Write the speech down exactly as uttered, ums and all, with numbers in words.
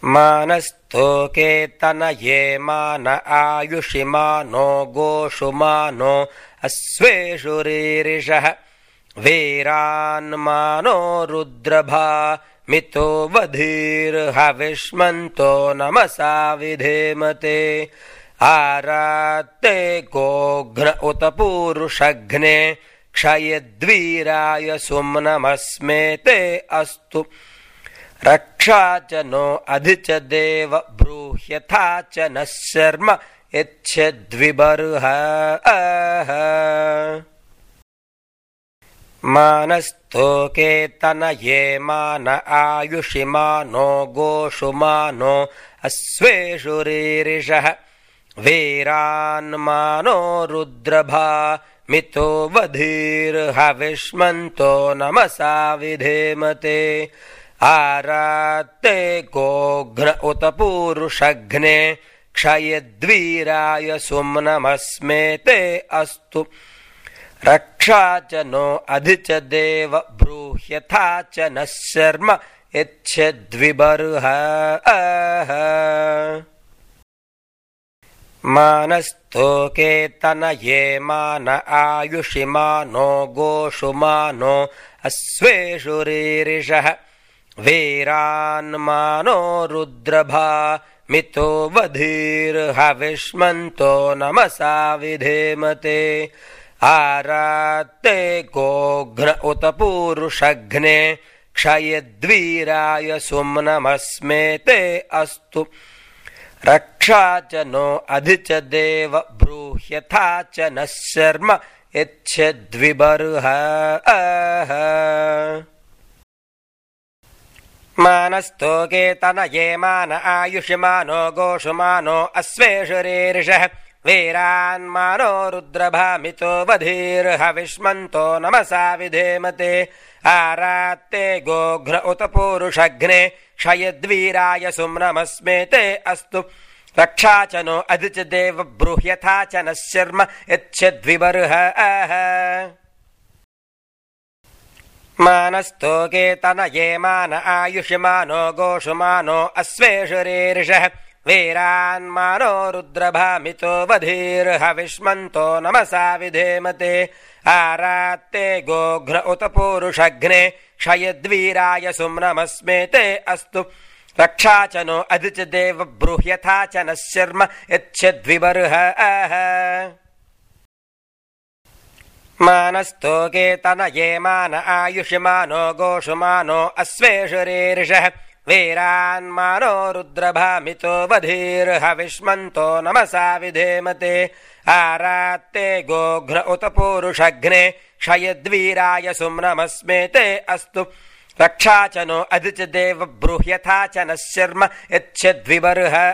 मानस्तोके तनये मान आयुषि मानो गोषु मानो अश्वेषु रीरिषः वीरान्मानो रुद्रभा मितो वधीर्हविष्मन्तो नमसा विधेमते आरात्ते गोघ्न उत पूरुषघ्ने क्षयद्वीराय सुम्नमस्मे ते अस्तु रक्षा च नो अधि च देव ब्रूह्यथा च नः शर्म यच्छद्विबर्हः मानस्तोके तनये मान आयुषि मानो गोषु मानो अश्वेषु रीरिषः वीरान्मानो रुद्रभा मितो वधीर्हविष्मन्तो नमसा विधेमते आरात्ते गोघ्न उत पूरुषघ्ने क्षयद्वीराय सुम्नमस्मे ते अस्तु रक्षा च नो अधि च देव ब्रूह्यथा च नः शर्म यच्छद्विबर्हः मानस्तोके तनये मान आयुषि मानो गोषु मानो अश्वेषु रीरिषः वीरान्मानो रुद्रभा मितो वधीर्हविष्मन्तो नमसा विधेमते आरात्ते गोघ्न उत पूरुषघ्ने क्षयद्वीराय सुम्नमस्मे ते अस्तु रक्षा च नो अधि च देव ब्रूह्यथा च नः शर्म यच्छद्विबर्हः मानस्तोके तनये मान आयुषि मानो गोषु मानो अश्वेषु रीरिषः वीरान्मानो रुद्रभा मितो वधीर्हविष्मन्तो नमसा विधेमते आरात्ते गोघ्न उत पूरुषघ्ने क्षयद्वीराय सुम्नमस्मे ते अस्तु रक्षा च नो अधि च देव ब्रूह्यथा च नः शर्म यच्छद्विबर्हः मानस्तोके तनये मान आयुषि मानो गोषु मानो अश्वेषु रीरिषः वीरान्मानो रुद्रभा मितो वधीर्हविष्मन्तो नमसा विधेमते आरात्ते गोघ्न उत पूरुषघ्ने क्षयद्वीराय सुम्नमस्मे ते अस्तु रक्षा च नो अधि च देव ब्रूह्यथा च नः शर्म यच्छद्विबर्हः मानस्तोके तनये मान आयुषि मानो गोषु मानो अश्वेषु रीरिषः वीरान्मानो रुद्रभा मितो वधीर्हविष्मन्तो नमसा विधेमते आरात्ते गोघ्न उत पूरुषघ्ने क्षयद्वीराय सुम्नमस्मे ते अस्तु रक्षा च नो अधि च देव ब्रूह्यथा च नः शर्म यच्छद्विबर्हः